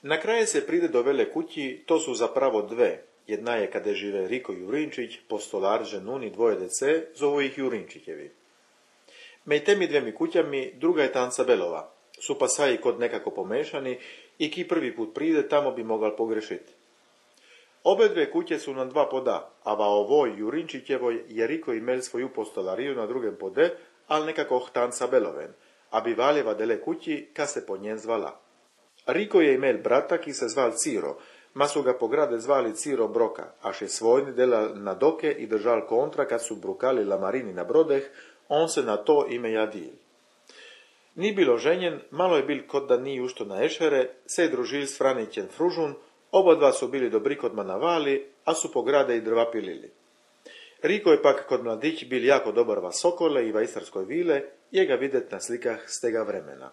Na kraje se pride do vele kući, to su zapravo dve. Jedna je kada žive Riko Jurinčić, postolar, ženun i dvoje dece, zovu ih Jurinčićevi. Mej temi dvemi kućami druga je Tanca Belova. Su pasaji kod nekako pomešani i ki prvi put pride, tamo bi mogal pogrešiti. Obe dve kuće su na dva poda, a va ovoj Jurinčićevoj je Riko imel svoju postolariju na drugem pode, ali nekako Tanca Beloven, a bi valjeva dele kući, ka se po njen zvala. Riko je imel brata, ki se zval Ciro, ma su ga po grade zvali Ciro Broka, až je svojni delal na doke i držal kontra kad su brukali lamarini na brodeh, on se na to ime jadil. Ni bilo ženjen, malo je bil kod da ni ušto na ešere, se je družil s Franićen Fružun, oba dva su bili dobri kod manavali, a su po grade i drva pilili. Riko je pak kod mladić bil jako dobar va sokole i va istarskoj vile, je ga videt na slikah s tega vremena.